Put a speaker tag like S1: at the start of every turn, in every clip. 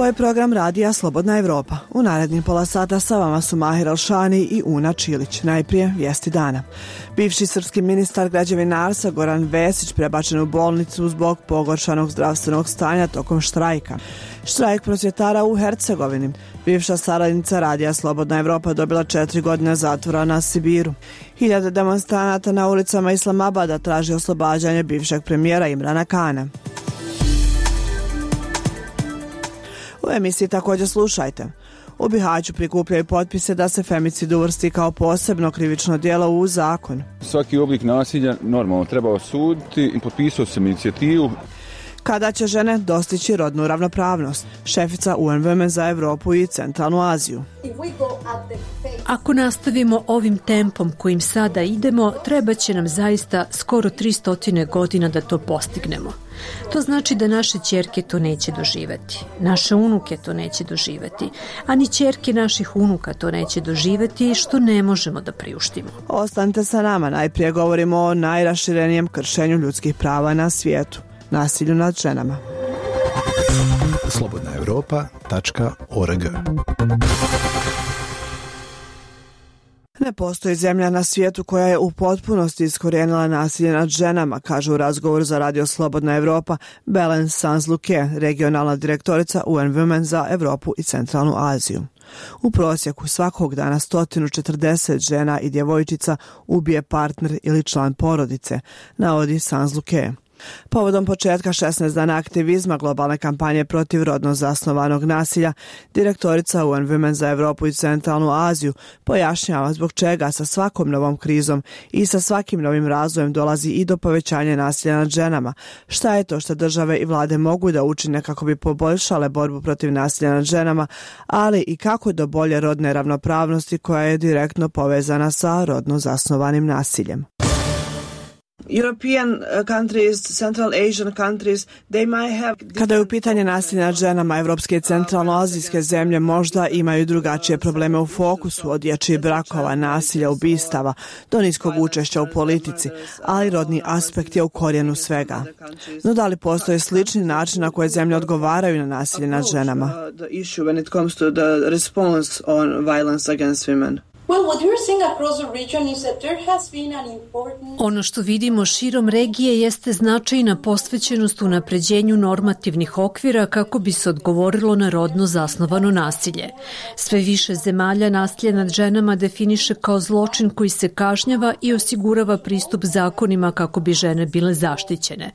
S1: Ovo je program radija Slobodna Evropa. U narednim pola sata sa vama su Mahir Alšani i Una Čilić. Najprije vijesti dana. Bivši srpski ministar građevinarstva Goran Vesić prebačen u bolnicu zbog pogoršanog zdravstvenog stanja tokom štrajka. Štrajk prosvjetara u Hercegovini. Bivša saradnica radija Slobodna Evropa dobila 4 godine zatvora na Sibiru. Hiljade demonstranata na ulicama Islamabada traži oslobađanje bivšeg premijera Imrana Kana. U emisiji također slušajte. U Bihaću prikupljaju potpise da se femicid uvrsti kao posebno krivično djelo u zakon.
S2: Svaki oblik nasilja normalno treba osuditi i potpisao sam inicijativu.
S1: Kada će žene dostići rodnu ravnopravnost? Šefica UN Women za Evropu i Centralnu Aziju.
S3: Ako nastavimo ovim tempom kojim sada idemo, treba će nam zaista skoro 300 godina da to postignemo. To znači da naše ćerke to neće doživjeti, naše unuke to neće doživjeti, a ni ćerke naših unuka to neće doživjeti, što ne možemo da priuštimo.
S1: Ostanite sa nama, najprije govorimo o najraširenijem kršenju ljudskih prava na svijetu, nasilju nad ženama.
S4: slobodnaevropa.org.
S1: Ne postoji zemlja na svijetu koja je u potpunosti iskorijenila nasilje nad ženama, kaže u razgovoru za radio Slobodna Evropa Belen Sanz-Luque, regionalna direktorica UN Women za Evropu i Centralnu Aziju. U prosjeku svakog dana 140 žena i djevojčica ubije partner ili član porodice, navodi Sanz-Luque. Povodom početka 16 dana aktivizma globalne kampanje protiv rodno zasnovanog nasilja, direktorica UN Women za Evropu i Centralnu Aziju pojašnjava zbog čega sa svakom novom krizom i sa svakim novim razvojem dolazi i do povećanja nasilja nad ženama. Šta je to što države i vlade mogu da učine kako bi poboljšale borbu protiv nasilja nad ženama, ali i kako do bolje rodne ravnopravnosti koja je direktno povezana sa rodno zasnovanim nasiljem.
S5: European countries, Central Asian countries, they might have...
S1: Kada je u pitanje nasilja nad ženama, evropske i centralnoazijske zemlje možda imaju drugačije probleme u fokusu, od dječjih brakova, nasilja, ubistava, do niskog učešća u politici, ali rodni aspekt je u korijenu svega. No da li postoje slični način na koje zemlje odgovaraju na nasilje nad ženama?
S3: Ono što vidimo širom regije jeste značajna posvećenost unapređenju normativnih okvira kako bi se odgovorilo na rodno zasnovano nasilje. Sve više zemalja nasilje nad ženama definiše kao zločin koji se kažnjava i osigurava pristup zakonima kako bi žene bile zaštićene.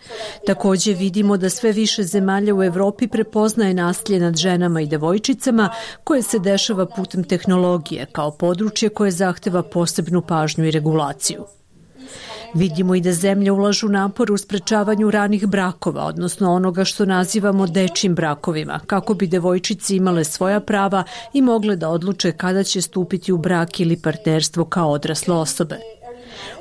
S3: Također vidimo da sve više zemalja u Evropi prepoznaje nasilje nad ženama i devojčicama koje se dešava putem tehnologije kao područje koje zahteva posebnu pažnju i regulaciju. Vidimo i da zemlje ulažu napor u sprečavanju ranih brakova, odnosno onoga što nazivamo dečjim brakovima, kako bi devojčice imale svoja prava i mogle da odluče kada će stupiti u brak ili partnerstvo kao odrasle osobe.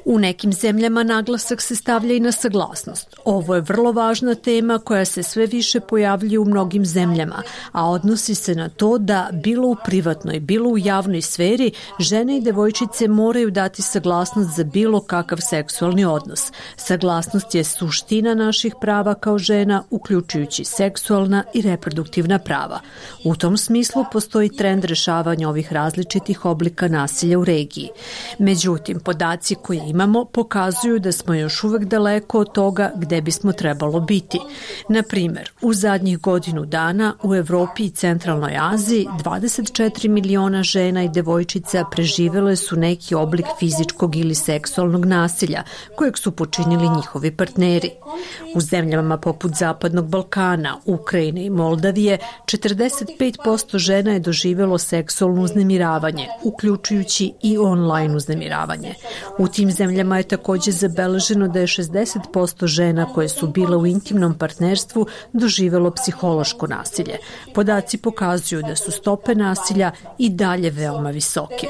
S3: U nekim zemljama naglasak se stavlja i na saglasnost. Ovo je vrlo važna tema koja se sve više pojavljuje u mnogim zemljama, a odnosi se na to da bilo u privatnoj, bilo u javnoj sferi žene i devojčice moraju dati saglasnost za bilo kakav seksualni odnos. Saglasnost je suština naših prava kao žena, uključujući seksualna i reproduktivna prava. U tom smislu postoji trend rešavanja ovih različitih oblika nasilja u regiji. Međutim, podaci koje imamo pokazuju da smo još uvek daleko od toga gde bismo trebalo biti. Na primjer, u zadnjih godinu dana u Evropi i Centralnoj Aziji 24 miliona žena i devojčica preživele su neki oblik fizičkog ili seksualnog nasilja kojeg su počinili njihovi partneri. U zemljama poput Zapadnog Balkana, Ukrajine i Moldavije 45% žena je doživjelo seksualno uznemiravanje, uključujući i online uznemiravanje. U tim zemljama je također zabeleženo da je 60% žena koje su bile u intimnom partnerstvu doživjelo psihološko nasilje. Podaci pokazuju da su stope nasilja i dalje veoma visoke.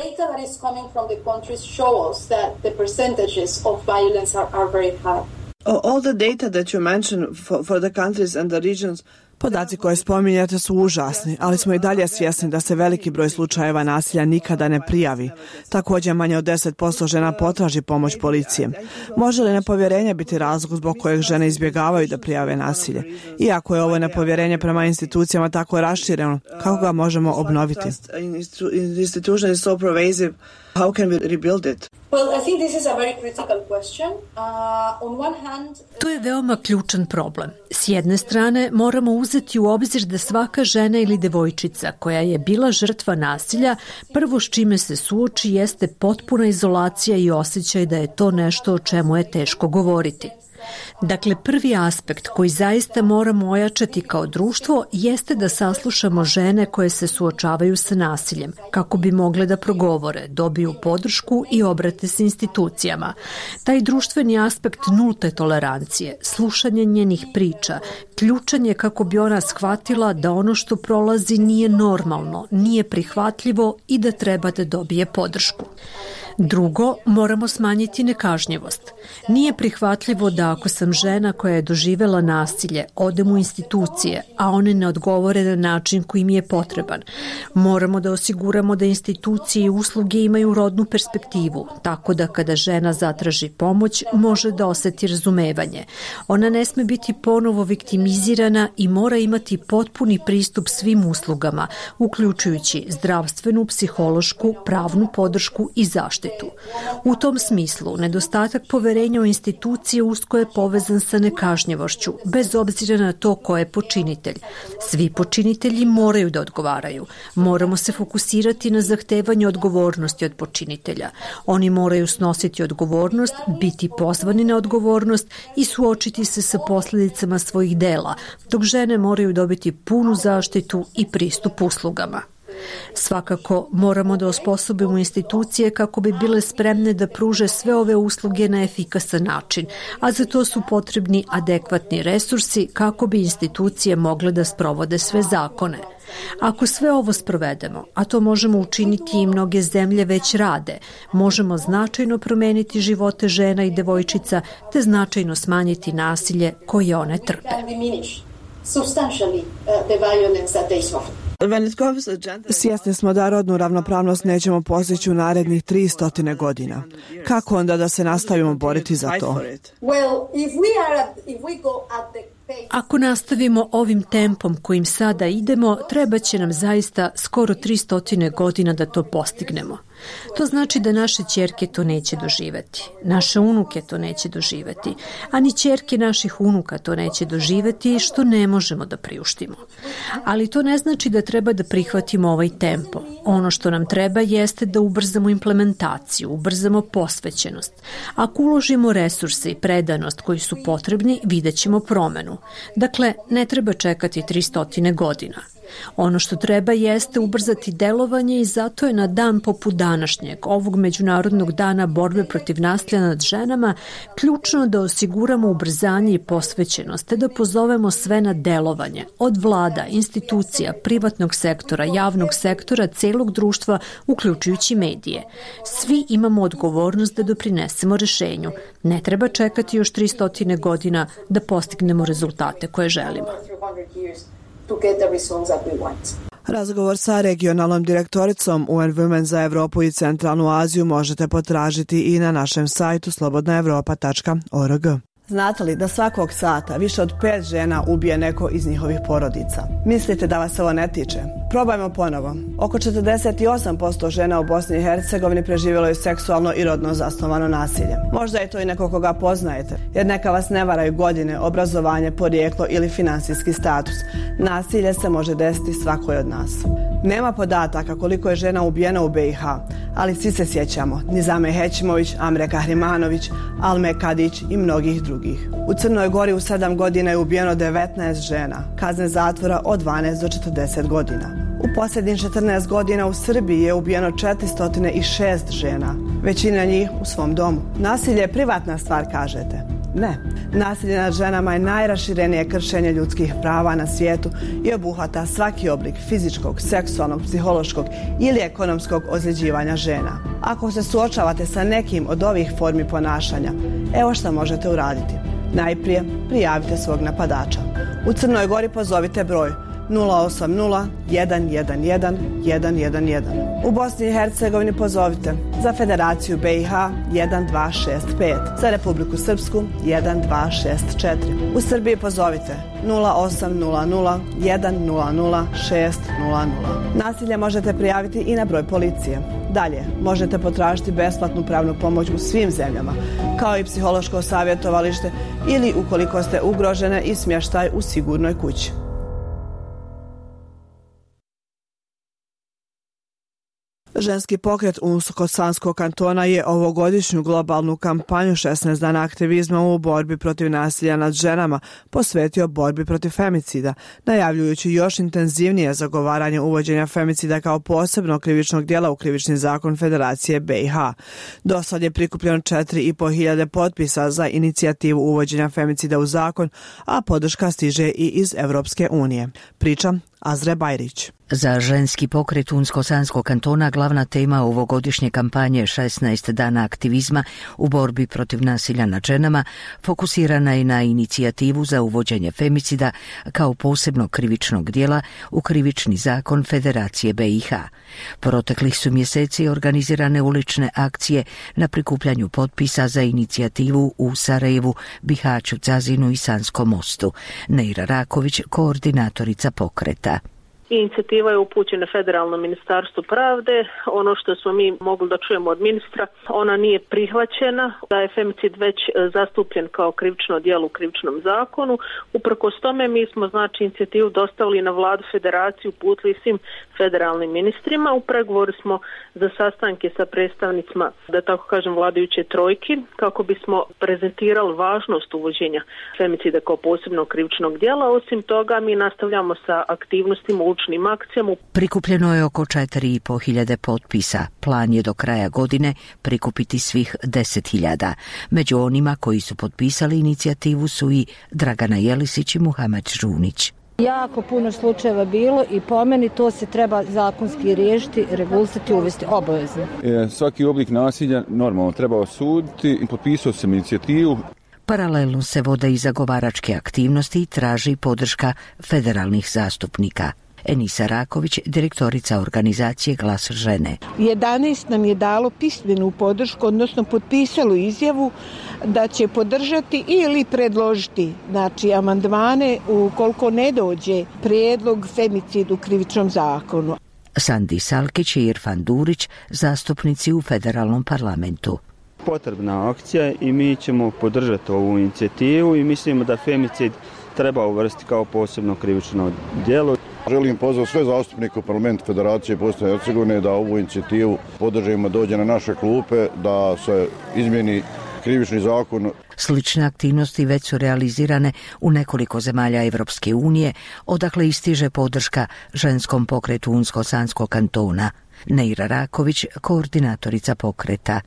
S5: All the data that you mentioned for the countries and the regions
S1: Podaci koje spominjate su užasni, ali smo i dalje svjesni da se veliki broj slučajeva nasilja nikada ne prijavi. Također manje od 10% žena potraži pomoć policije. Može li nepovjerenje biti razlog zbog kojeg žene izbjegavaju da prijave nasilje? Iako je ovo nepovjerenje prema institucijama tako rašireno, kako ga možemo obnoviti?
S5: How can we rebuild it?
S6: Well, I think this is a very critical question. On one hand,
S3: to je veoma ključan problem. S jedne strane, moramo uzeti u obzir da svaka žena ili devojčica koja je bila žrtva nasilja, prvo s čime se suoči jeste potpuna izolacija i osjećaj da je to nešto o čemu je teško govoriti. Dakle, prvi aspekt koji zaista moramo ojačati kao društvo jeste da saslušamo žene koje se suočavaju sa nasiljem, kako bi mogle da progovore, dobiju podršku i obrate se institucijama. Taj društveni aspekt nulte tolerancije, slušanje njenih priča, ključan je kako bi ona shvatila da ono što prolazi nije normalno, nije prihvatljivo i da treba da dobije podršku. Drugo, moramo smanjiti nekažnjivost. Nije prihvatljivo da ako sam žena koja je doživela nasilje, odem u institucije, a one ne odgovore na način koji mi je potreban. Moramo da osiguramo da institucije i usluge imaju rodnu perspektivu, tako da kada žena zatraži pomoć, može da oseti razumevanje. Ona ne sme biti ponovo viktimizirana i mora imati potpuni pristup svim uslugama, uključujući zdravstvenu, psihološku, pravnu podršku i zaštitu. U tom smislu, nedostatak poverenja u institucije usko je povezan sa nekažnjivošću, bez obzira na to ko je počinitelj. Svi počinitelji moraju da odgovaraju. Moramo se fokusirati na zahtevanje odgovornosti od počinitelja. Oni moraju snositi odgovornost, biti pozvani na odgovornost i suočiti se sa posljedicama svojih dela, dok žene moraju dobiti punu zaštitu i pristup uslugama. Svakako moramo da osposobimo institucije kako bi bile spremne da pruže sve ove usluge na efikasan način, a za to su potrebni adekvatni resursi kako bi institucije mogle da sprovode sve zakone. Ako sve ovo sprovedemo, a to možemo učiniti i mnoge zemlje već rade, možemo značajno promeniti živote žena i devojčica te značajno smanjiti nasilje koje one trpe.
S1: Svjesni smo da rodnu ravnopravnost nećemo postići u narednih 300 godina. Kako onda da se nastavimo boriti za to?
S3: Ako nastavimo ovim tempom kojim sada idemo, treba će nam zaista skoro 300 godina da to postignemo. To znači da naše ćerke to neće doživjeti, naše unuke to neće doživjeti, a ni ćerke naših unuka to neće doživjeti, što ne možemo da priuštimo. Ali to ne znači da treba da prihvatimo ovaj tempo. Ono što nam treba jeste da ubrzamo implementaciju, ubrzamo posvećenost. Ako uložimo resurse i predanost koji su potrebni, vidjet ćemo promenu. Dakle, ne treba čekati 300 godina. Ono što treba jeste ubrzati delovanje i zato je na dan poput današnjeg, ovog Međunarodnog dana borbe protiv nasilja nad ženama, ključno da osiguramo ubrzanje i posvećenost, te da pozovemo sve na delovanje, od vlada, institucija, privatnog sektora, javnog sektora, celog društva, uključujući medije. Svi imamo odgovornost da doprinesemo rešenju. Ne treba čekati još 300 godina da postignemo rezultate koje želimo.
S1: Razgovor sa regionalnom direktoricom UN Women za Evropu i Centralnu Aziju možete potražiti i na našem sajtu slobodnaevropa.org. Znate li da svakog sata više od 5 žena ubije neko iz njihovih porodica? Mislite da vas ovo ne tiče? Probajmo ponovo. Oko 48% žena u Bosni i Hercegovini preživjelo je seksualno i rodno zasnovano nasilje. Možda je to i neko koga poznajete, jer neka vas ne varaju godine, obrazovanje, porijeklo ili finansijski status. Nasilje se može desiti svakoj od nas. Nema podataka koliko je žena ubijeno u BiH, ali svi se sjećamo Nizame Hećimović, Amre Kahrimanović, Alme Kadić i mnogih drugih. U Crnoj Gori u 7 godina je ubijeno 19 žena, kazne zatvora od 12 do 40 godina. U posljednjih 14 godina u Srbiji je ubijeno 406 žena, većina njih u svom domu. Nasilje je privatna stvar, kažete? Ne. Nasilje nad ženama je najraširenije kršenje ljudskih prava na svijetu i obuhvata svaki oblik fizičkog, seksualnog, psihološkog ili ekonomskog ozljeđivanja žena. Ako se suočavate sa nekim od ovih formi ponašanja, evo šta možete uraditi. Najprije prijavite svog napadača. U Crnoj Gori pozovite broj 080 111 111. U Bosni i Hercegovini pozovite za Federaciju BiH 1265, za Republiku Srpsku 1264. U Srbiji pozovite 0800 100 600. Nasilje možete prijaviti i na broj policije. Dalje, možete potražiti besplatnu pravnu pomoć u svim zemljama, kao i psihološko savjetovalište ili ukoliko ste ugrožene i smještaj u sigurnoj kući. Ženski pokret Unsko-Sanskog kantona je ovogodišnju globalnu kampanju 16 dana aktivizma u borbi protiv nasilja nad ženama posvetio borbi protiv femicida, najavljujući još intenzivnije zagovaranje uvođenja femicida kao posebnog krivičnog djela u krivični zakon Federacije BiH. Do sad je prikupljeno 4.500 potpisa za inicijativu uvođenja femicida u zakon, a podrška stiže i iz Evropske unije. Priča Azre Bajrić.
S7: Za ženski pokret Unsko-Sanskog kantona glavna tema ovogodišnje kampanje 16 dana aktivizma u borbi protiv nasilja nad ženama fokusirana je na inicijativu za uvođenje femicida kao posebnog krivičnog djela u krivični zakon Federacije BiH. Proteklih su mjeseci organizirane ulične akcije na prikupljanju potpisa za inicijativu u Sarajevu, Bihaću, Cazinu i Sanskom Mostu. Neira Raković, koordinatorica pokreta.
S8: Inicijativa je upućena Federalnom ministarstvu pravde. Ono što smo mi mogli da čujemo od ministra, ona nije prihvaćena, da je femicid već zastupljen kao krivično djelo u krivičnom zakonu. Uprkos tome mi smo inicijativu dostavili na vladu federaciju, uputili svim federalnim ministrima. U pregovoru smo za sastanke sa predstavnicima, da tako kažem, vladajuće trojki, kako bismo prezentirali važnost uvođenja femicida kao posebnog krivičnog djela. Osim toga, mi nastavljamo sa aktivnostima akcijama.
S7: Prikupljeno je oko 4.500 potpisa. Plan je do kraja godine prikupiti svih 10.000. Među onima koji su potpisali inicijativu su i Dragana Jelisić i Muhamed Žunić.
S9: Jako puno slučajeva bilo i po meni to se treba zakonski riješiti, regulisati, uvesti obavezno.
S2: Svaki oblik nasilja normalno treba osuditi i potpisao sam inicijativu.
S7: Paralelno se vode i zagovaračke aktivnosti i traži podrška federalnih zastupnika. Enisa Raković, direktorica organizacije Glas žene.
S10: 11 nam je dalo pismenu podršku, odnosno potpisalo izjavu da će podržati ili predložiti, amandmane ukoliko ne dođe prijedlog femicid u krivičnom zakonu.
S7: Sandi Salkić i Irfan Durić, zastupnici u federalnom parlamentu.
S11: Potrebna akcija i mi ćemo podržati ovu inicijativu i mislimo da femicid treba uvrstiti kao posebno krivično djelo.
S12: Želim pozvati sve zastupnike u parlamentu Federacije Bosne i Hercegovine da ovu inicijativu podržimo, dođe na naše klupe, da se izmijeni krivični zakon.
S7: Slične aktivnosti već su realizirane u nekoliko zemalja Evropske unije, odakle istiže podrška ženskom pokretu Unsko-Sanskog kantona. Neira Raković, koordinatorica pokreta.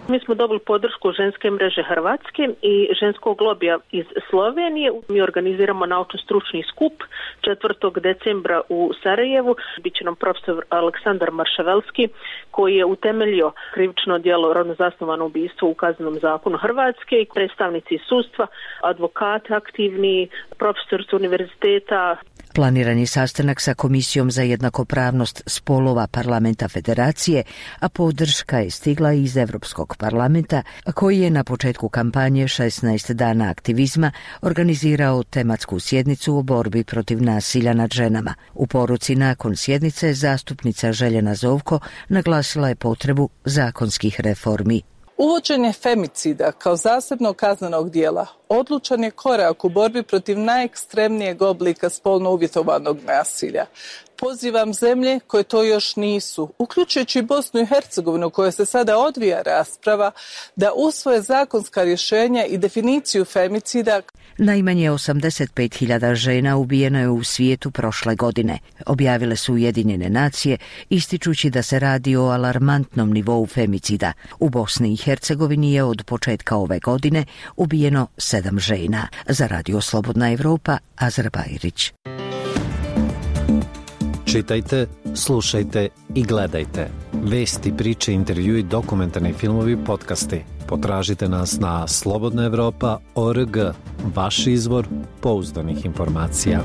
S8: Mi smo dobili podršku ženske mreže Hrvatske i ženskog lobija iz Slovenije. Mi organiziramo naučno-stručni skup 4. decembra u Sarajevu. Biće nam profesor Aleksandar Maršavelski, koji je utemeljio krivično djelo rodno zasnovano ubistvo u Kaznenom zakonu Hrvatske i predstavnici sudstva, advokati aktivni, profesorica univerziteta.
S7: Planiran je sastanak sa Komisijom za jednakopravnost spolova Parlamenta Federacije, a podrška je stigla iz Evropskog parlamenta, koji je na početku kampanje 16 dana aktivizma organizirao tematsku sjednicu o borbi protiv nasilja nad ženama. U poruci nakon sjednice zastupnica Željena Zovko naglasila je potrebu zakonskih reformi.
S13: Uvođenje femicida kao zasebnog kaznenog djela odlučan je korak u borbi protiv najekstremnijeg oblika spolno uvjetovanog nasilja. Pozivam zemlje koje to još nisu, uključujući Bosnu i Hercegovinu, koja se sada odvija rasprava, da usvoje zakonska rješenja i definiciju femicida.
S7: Najmanje 85.000 žena ubijeno je u svijetu prošle godine, objavile su Ujedinjene nacije, ističući da se radi o alarmantnom nivou femicida. U Bosni i Hercegovini je od početka ove godine ubijeno 7 žena. Za Radio Slobodna Evropa, Azra Bajrić.
S4: Čitajte, slušajte i gledajte Vesti, priče, intervjui, dokumentarni filmovi, podcasti. Potražite nas na slobodnaevropa.org, vaš izvor pouzdanih informacija.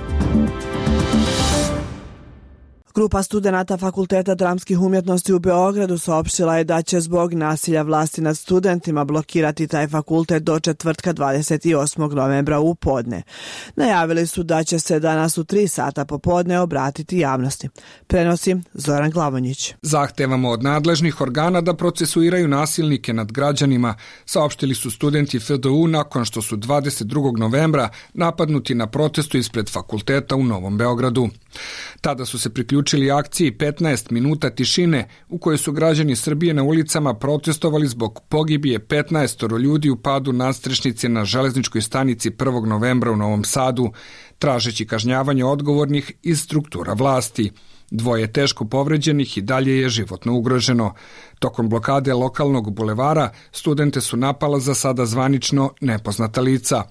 S1: Grupa studenata Fakulteta dramskih umjetnosti u Beogradu saopštila je da će zbog nasilja vlasti nad studentima blokirati taj fakultet do četvrtka 28. novembra u podne. Najavili su da će se danas u 3 sata popodne obratiti javnosti. Prenosi Zoran Glavonjić.
S14: Zahtevamo od nadležnih organa da procesuiraju nasilnike nad građanima, saopštili su studenti FDU nakon što su 22. novembra napadnuti na protestu ispred fakulteta u Novom Beogradu. Tada su se priključili akciji 15 minuta tišine u kojoj su građani Srbije na ulicama protestovali zbog pogibije 15 ljudi u padu nadstrešnice na železničkoj stanici 1. novembra u Novom Sadu, tražeći kažnjavanje odgovornih iz struktura vlasti. 2 teško povređenih i dalje je životno ugroženo. Tokom blokade lokalnog bulevara studente su napala za sada zvanično nepoznata lica.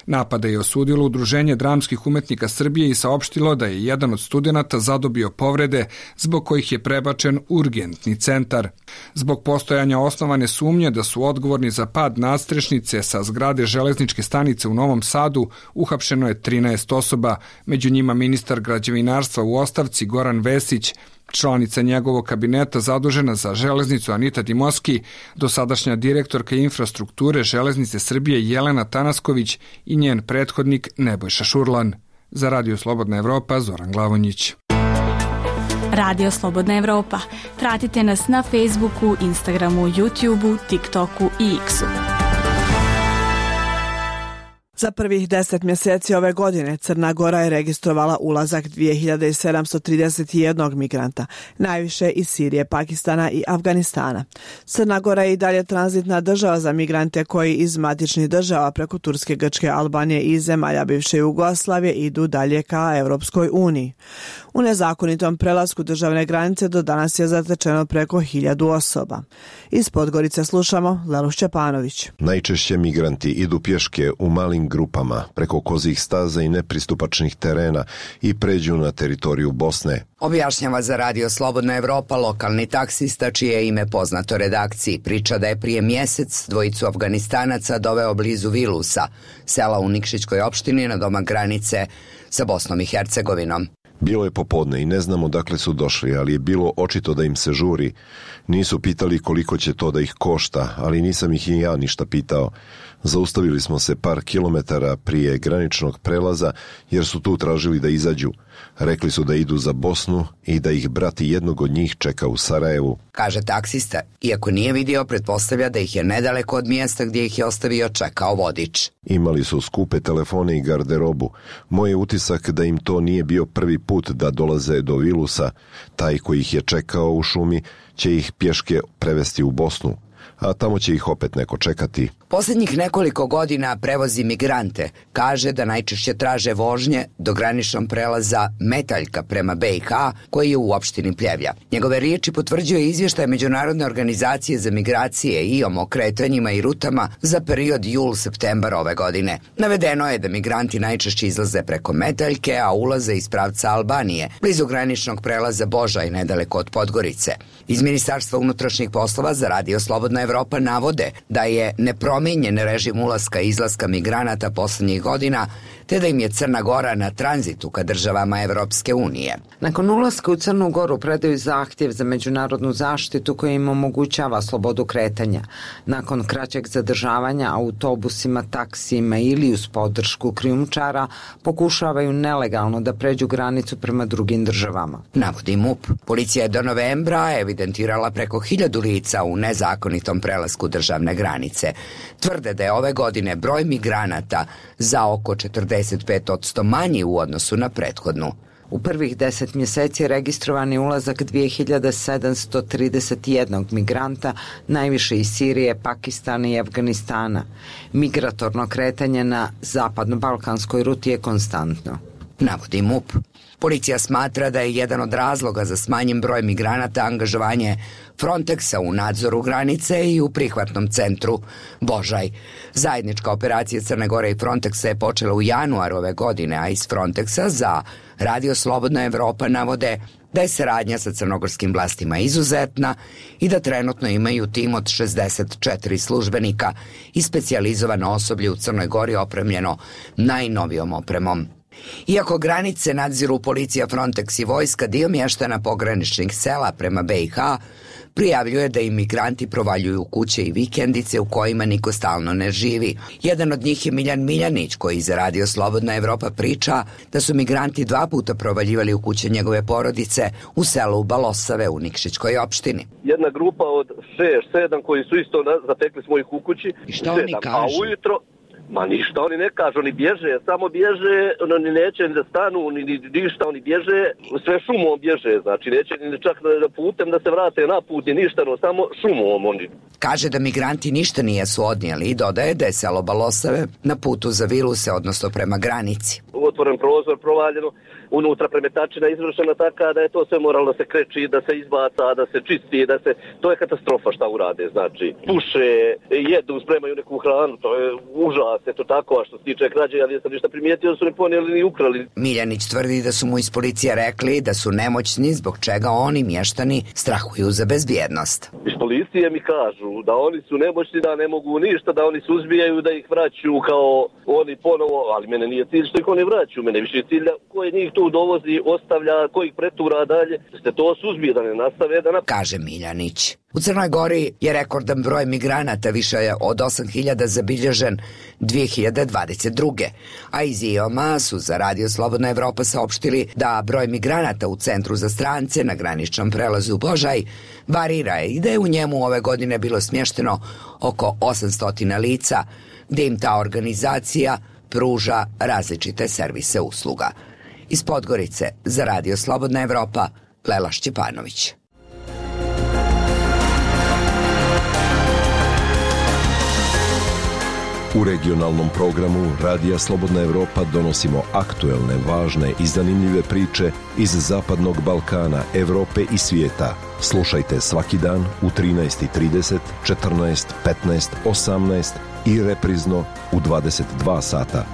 S14: Napada je osudilo Udruženje dramskih umetnika Srbije i saopštilo da je jedan od studenata zadobio povrede zbog kojih je prebačen u urgentni centar. Zbog postojanja osnovane sumnje da su odgovorni za pad nadstrešnice sa zgrade železničke stanice u Novom Sadu uhapšeno je 13 osoba, među njima ministar građevinarstva u ostavci Goran Vesić, članica njegovog kabineta zadužena za železnicu Anita Dimoski, dosadašnja direktorka infrastrukture Železnice Srbije Jelena Tanasković i njen prethodnik Nebojša Šurlan. Za Radio Slobodna Evropa, Zoran Glavonjić.
S15: Radio Slobodna Evropa. Pratite nas na Facebooku, Instagramu, YouTubeu, TikToku i X-u.
S1: Za prvih 10 mjeseci ove godine Crna Gora je registrovala ulazak 2731 migranta, najviše iz Sirije, Pakistana i Afganistana. Crna Gora je i dalje tranzitna država za migrante koji iz matičnih država preko Turske, Grčke, Albanije i zemalja bivše Jugoslavije idu dalje ka Europskoj uniji. U nezakonitom prelasku državne granice do danas je zatečeno preko 1000 osoba. Iz Podgorice slušamo Lelu Šćepanović.
S16: Najčešće migranti idu pješke u malim grupama preko kozih staza i nepristupačnih terena i pređu na teritoriju Bosne.
S17: Objašnjava za Radio Slobodna Evropa lokalni taksista čije je ime poznato redakciji. Priča da je prije mjesec 2 Afganistanaca doveo blizu Vilusa, sela u Nikšićkoj opštini na domak granice sa Bosnom i Hercegovinom.
S16: Bilo je popodne i ne znamo dakle su došli, ali je bilo očito da im se žuri. Nisu pitali koliko će to da ih košta, ali nisam ih i ja ništa pitao. Zaustavili smo se par kilometara prije graničnog prelaza jer su tu tražili da izađu. Rekli su da idu za Bosnu i da ih brat jednog od njih čeka u Sarajevu.
S17: Kaže taksista, iako nije vidio, pretpostavlja da ih je nedaleko od mjesta gdje ih je ostavio čekao vodič.
S16: Imali su skupe telefone i garderobu. Moj je utisak da im to nije bio prvi put da dolaze do Vilusa. Taj koji ih je čekao u šumi će ih pješke prevesti u Bosnu, a tamo će ih opet neko čekati.
S17: Posljednjih nekoliko godina prevozi migrante. Kaže da najčešće traže vožnje do graničnog prelaza Metaljka prema BiH, koji je u opštini Pljevlja. Njegove riječi potvrđuje izvještaj Međunarodne organizacije za migracije IOM o kretanjima i rutama za period jul-septembar ove godine. Navedeno je da migranti najčešće izlaze preko Metaljke, a ulaze iz pravca Albanije, blizu graničnog prelaza Božaj, nedaleko od Podgorice. Iz Ministarstva unutrašnjih poslova za Radio Slobodna Evropa navode da je nepromijenjen režim ulaska i izlaska migranata posljednjih godina, te da im je Crna Gora na tranzitu ka državama Evropske unije.
S18: Nakon ulaska u Crnu Goru predaju zahtjev za međunarodnu zaštitu koja im omogućava slobodu kretanja. Nakon kraćeg zadržavanja autobusima, taksijima ili uz podršku krijumčara pokušavaju nelegalno da pređu granicu prema drugim državama.
S17: Navodi MUP. Policija je do novembra evidentirala preko 1000 lica u nezakonitom prelasku državne granice. Tvrde da je ove godine broj migranata za oko 45% manji u odnosu na prethodnu.
S18: U prvih 10 mjeseci registrovan je ulazak 2731 migranta, najviše iz Sirije, Pakistana i Afganistana. Migratorno kretanje na zapadno-balkanskoj ruti je konstantno.
S17: navodi MUP. Policija smatra da je jedan od razloga za smanjen broj migranata angažovanje Frontexa u nadzoru granice i u prihvatnom centru Božaj. Zajednička operacija Crne Gore i Frontexa je počela u januaru ove godine, a iz Frontexa za Radio Slobodna Evropa navode da je saradnja sa crnogorskim vlastima izuzetna i da trenutno imaju tim od 64 službenika i specijalizovano osoblje u Crnoj Gori opremljeno najnovijom opremom. Iako granice nadziru policija, Frontex i vojska, dio mještana pograničnih sela prema BiH prijavljuje da imigranti provaljuju kuće i vikendice u kojima niko stalno ne živi. Jedan od njih je Miljan Miljanić, koji za Radio Slobodna Evropa priča da su migranti 2 puta provaljivali u kuće njegove porodice u selu Balosave u Nikšićkoj opštini.
S19: Jedna grupa od 6-7 koji su isto zatekli svojih u kući.
S17: I šta oni kažu?
S19: A ujutro, ma ništa oni ne kažu, oni bježe, samo bježe, oni neće ni da stanu, ni ništa, oni bježe, sve šumom bježe, znači neće ni čak da putem da se vrate na put, ni ništa, no samo šumom oni.
S17: Kaže da migranti ništa nijesu odnijeli i dodaje da je selo Balosave na putu za Viluse, odnosno prema granici.
S19: Otvoren prozor, provaljeno, unutra premetačina izvršena taka da je to sve moralo da se kreči, da se izbaca, da se čisti, to je katastrofa šta urade, znači puše, jedu, spremaju neku hranu, to je užas, eto tako, a što se tiče krađe, ja nisam ništa primijetio da su ne ponijeli ni ukrali.
S17: Miljanić tvrdi da su mu iz policije rekli da su nemoćni, zbog čega oni, mještani, strahuju za bezbjednost.
S19: Iz policije mi kažu da oni su nemoćni, da ne mogu ništa, da oni suzbijaju, da ih vraću kao oni ponovo, ali mene nije cilj što ih oni vraću, mene više cilj koje njih tu dovozi, ostavlja, koji pretura dalje, ste to suzbije da ne nastave
S17: kaže Miljanić. U Crnoj Gori je rekordan broj migranata, više je od 8.000 zabilježen 2022. A iz IOM-a su za Radio Slobodna Evropa saopštili da broj migranata u centru za strance na graničnom prelazu Božaj varira i da je u njemu ove godine bilo smješteno oko 800 lica, gdje im ta organizacija pruža različite servise usluga. Iz Podgorice za Radio Slobodna Evropa, Lela Šćepanović.
S16: U regionalnom programu Radija Slobodna Evropa donosimo aktuelne, važne i zanimljive priče iz Zapadnog Balkana, Evrope i svijeta. Slušajte svaki dan u 13:30, 14, 15, 18 i reprizno u 22 sata.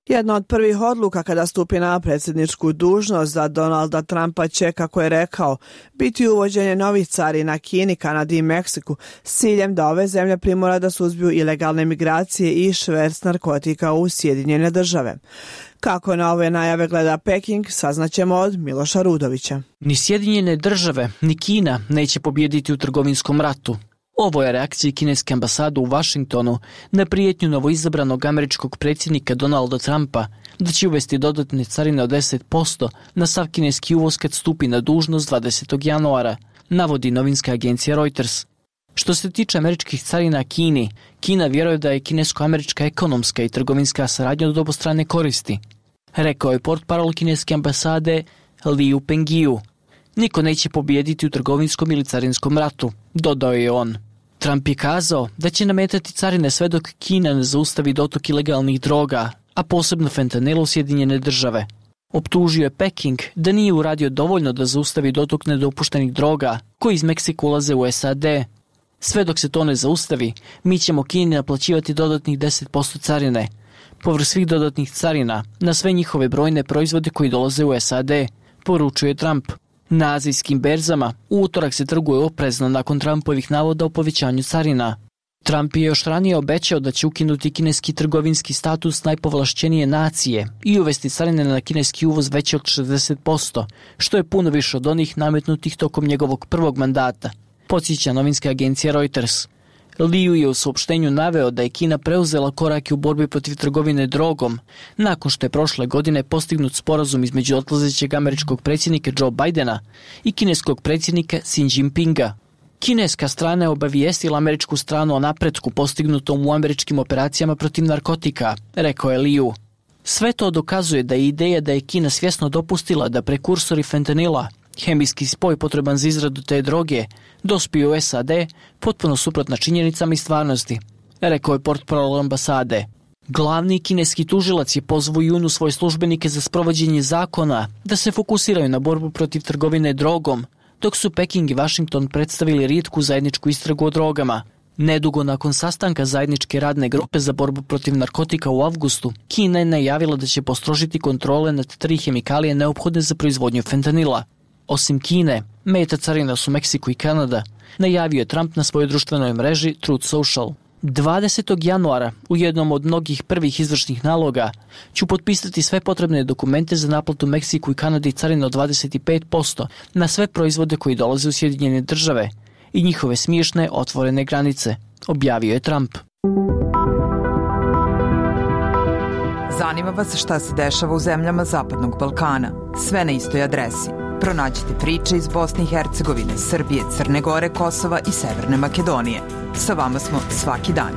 S1: Jedna od prvih odluka kada stupi na predsjedničku dužnost za Donalda Trumpa će, kako je rekao, biti uvođenje novih carina Kini, Kanadi i Meksiku s ciljem da ove zemlje primora da suzbiju ilegalne migracije i šverc narkotika u Sjedinjene Države. Kako na ove najave gleda Peking, saznaćemo od Miloša Rudovića.
S20: Ni Sjedinjene Države, ni Kina neće pobijediti u trgovinskom ratu. Ovo je reakcija kineske ambasade u Vašingtonu na prijetnju novoizabranog američkog predsjednika Donalda Trumpa da će uvesti dodatne carine od 10% na sav kineski uvoz kad stupi na dužnost 20. januara, navodi novinska agencija Reuters. Što se tiče američkih carina Kini, Kina vjeruje da je kinesko-američka ekonomska i trgovinska saradnja od obostrane koristi, rekao je portparol kineske ambasade Liu Pengiju. Niko neće pobijediti u trgovinskom ili carinskom ratu, dodao je on. Trump je kazao da će nametati carine sve dok Kina ne zaustavi dotok ilegalnih droga, a posebno fentanila u Sjedinjene Države. Optužio je Peking da nije uradio dovoljno da zaustavi dotok nedopuštenih droga koji iz Meksika ulaze u SAD. Sve dok se to ne zaustavi, mi ćemo Kini naplaćivati dodatnih 10% carine, povrh svih dodatnih carina na sve njihove brojne proizvode koji dolaze u SAD, poručuje Trump. Na azijskim berzama u utorak se trguje oprezno nakon Trumpovih navoda o povećanju carina. Trump je još ranije obećao da će ukinuti kineski trgovinski status najpovlašćenije nacije i uvesti carine na kineski uvoz veće od 60%, što je puno više od onih nametnutih tokom njegovog prvog mandata, podsjeća novinska agencija Reuters. Liu je u saopštenju naveo da je Kina preuzela korake u borbi protiv trgovine drogom, nakon što je prošle godine postignut sporazum između odlazećeg američkog predsjednika Joe Bidena i kineskog predsjednika Xi Jinpinga. Kineska strana je obavijestila američku stranu o napretku postignutom u američkim operacijama protiv narkotika, rekao je Liu. Sve to dokazuje da je ideja da je Kina svjesno dopustila da prekursori fentanila, hemijski spoj potreban za izradu te droge, dospiju u SAD, potpuno suprotna činjenicama i stvarnosti, rekao je portparol ambasade. Glavni kineski tužilac je pozvao u junu svoje službenike za sprovođenje zakona da se fokusiraju na borbu protiv trgovine drogom, dok su Peking i Washington predstavili rijetku zajedničku istragu o drogama. Nedugo nakon sastanka zajedničke radne grupe za borbu protiv narkotika u avgustu, Kina je najavila da će postrožiti kontrole nad 3 hemikalije neophodne za proizvodnju fentanila. Osim Kine, meta carina su Meksiko i Kanada, najavio je Trump na svojoj društvenoj mreži Truth Social. 20. januara, u jednom od mnogih prvih izvršnih naloga, ću potpisati sve potrebne dokumente za naplatu Meksiku i Kanadi carina od 25% na sve proizvode koji dolaze u Sjedinjene države i njihove smiješne otvorene granice, objavio je Trump.
S21: Zanima vas šta se dešava u zemljama Zapadnog Balkana? Sve na istoj adresi. Pronađite priče iz Bosne i Hercegovine, Srbije, Crne Gore, Kosova i Severne Makedonije. Sa vama smo svaki dan.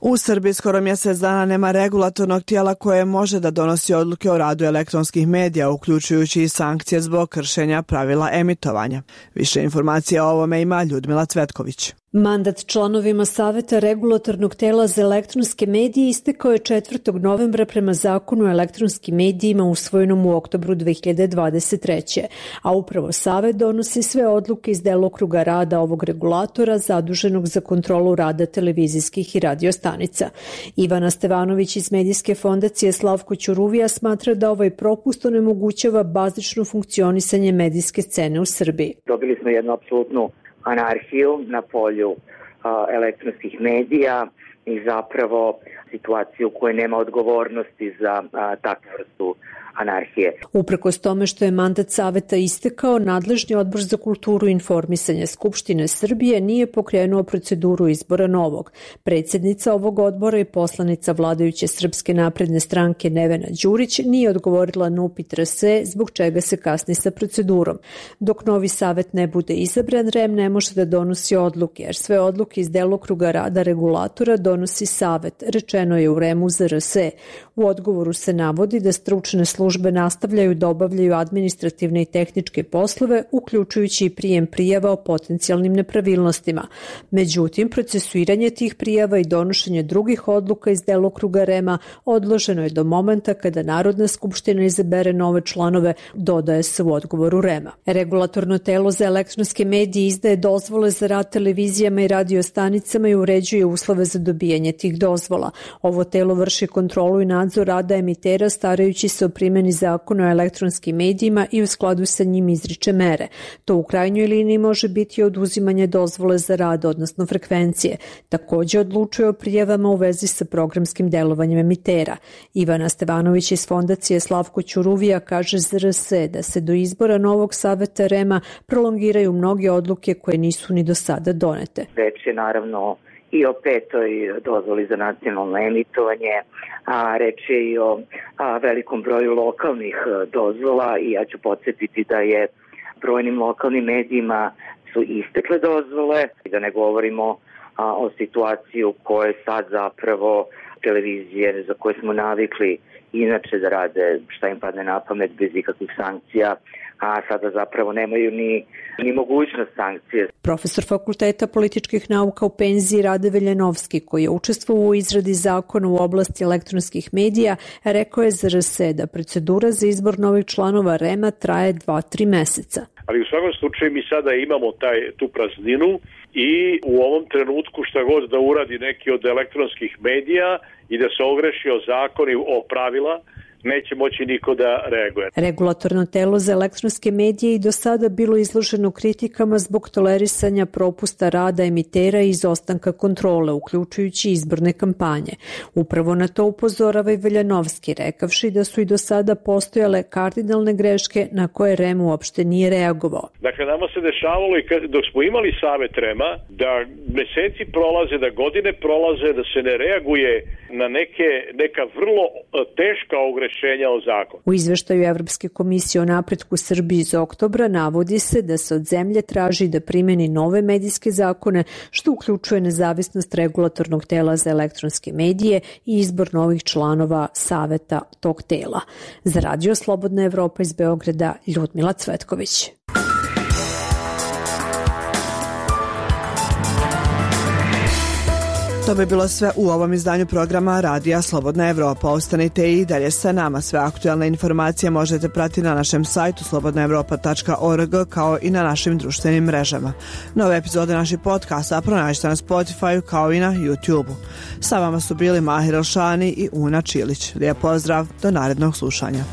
S1: U Srbiji skoro mjesec dana nema regulatornog tijela koje može da donosi odluke o radu elektronskih medija, uključujući i sankcije zbog kršenja pravila emitovanja. Više informacija o ovome ima Ljudmila Cvetković.
S3: Mandat članovima Saveta regulatornog tela za elektronske medije istekao je 4. novembra prema Zakonu o elektronskim medijima usvojenom u oktobru 2023. A upravo Savet donosi sve odluke iz delokruga rada ovog regulatora zaduženog za kontrolu rada televizijskih i radio stanica. Ivana Stevanović iz medijske fondacije Slavko Ćuruvija smatra da ovaj propust onemogućava bazično funkcionisanje medijske scene u Srbiji.
S22: Dobili smo jednu apsolutnu anarhiju na polju elektronskih medija i zapravo situaciju u kojoj nema odgovornosti za takvu vrstu anarhije.
S3: Uprkos tome što je mandat Saveta istekao, nadležni odbor za kulturu i informisanje Skupštine Srbije nije pokrenuo proceduru izbora novog. Predsjednica ovog odbora i poslanica vladajuće Srpske napredne stranke Nevena Đurić nije odgovorila na upit RS zbog čega se kasni sa procedurom. Dok novi Savet ne bude izabran, REM ne može da donosi odluke, jer sve odluke iz delokruga rada regulatora donosi Savet, rečeno je u REM-u za RS. U odgovoru se navodi da stručne službe nastavljaju da obavljaju administrativne i tehničke poslove, uključujući i prijem prijava o potencijalnim nepravilnostima. Međutim, procesuiranje tih prijava i donošenje drugih odluka iz delokruga REM-a odloženo je do momenta kada Narodna skupština izabere nove članove, dodaje se u odgovoru REM-a. Regulatorno telo za elektronske medije izdaje dozvole za rad televizijama i radiostanicama i uređuje uslove za dobijanje tih dozvola. Ovo telo vrši kontrolu i nadzor rada emitera starajući se o primjeni zakona o elektronskim medijima i u skladu sa njim izriče mere. To u krajnjoj liniji može biti oduzimanje dozvole za rad, odnosno frekvencije. Također odlučuje o prijavama u vezi sa programskim delovanjem emitera. Ivana Stevanović iz fondacije Slavko Ćuruvija kaže za RS da se do izbora novog saveta REM-a prolongiraju mnoge odluke koje nisu ni do sada donete.
S22: Reč je naravno i o 5. dozvoli za nacionalno emitovanje, a reč je i o velikom broju lokalnih dozvola i ja ću podsjetiti da je brojnim lokalnim medijima su istekle dozvole i da ne govorimo o situaciji u kojoj sad zapravo televizije za koje smo navikli inače da rade šta im padne na pamet bez ikakvih sankcija, a sada zapravo nemaju ni mogućnost sankcije.
S3: Profesor Fakulteta političkih nauka u penziji Rade Veljanovski, koji je učestvovao u izradi zakona u oblasti elektronskih medija, rekao je za RS da procedura za izbor novih članova REM-a traje 2-3 meseca.
S23: Ali u svakom slučaju mi sada imamo tu prazninu i u ovom trenutku šta god da uradi neki od elektronskih medija i da se ogreši o zakoni, o pravila, neće moći niko da reaguje.
S3: Regulatorno telo za elektronske medije i do sada bilo izloženo kritikama zbog tolerisanja propusta rada emitera i izostanka kontrole, uključujući izborne kampanje. Upravo na to upozorava i Veljanovski, rekavši da su i do sada postojale kardinalne greške na koje REM uopšte nije reagovao.
S23: Dakle, nama se dešavalo i dok smo imali Savet REM-a, da meseci prolaze, da godine prolaze, da se ne reaguje na neka vrlo teška ogrešenja rešenja o zakonu.
S3: U izveštaju Evropske komisije o napretku Srbiji iz oktobra navodi se da se od zemlje traži da primeni nove medijske zakone, što uključuje nezavisnost regulatornog tela za elektronske medije i izbor novih članova saveta tog tela. Za Radio Slobodna Evropa iz Beograda, Ljudmila Cvetković.
S1: To bi bilo sve u ovom izdanju programa Radija Slobodna Evropa. Ostanite i dalje sa nama. Sve aktualne informacije možete pratiti na našem sajtu slobodnaevropa.org kao i na našim društvenim mrežama. Nove epizode naših podcasta pronađite na Spotify kao i na YouTube-u. Sa vama su bili Mahir Elšani i Una Čilić. Lijep pozdrav, do narednog slušanja.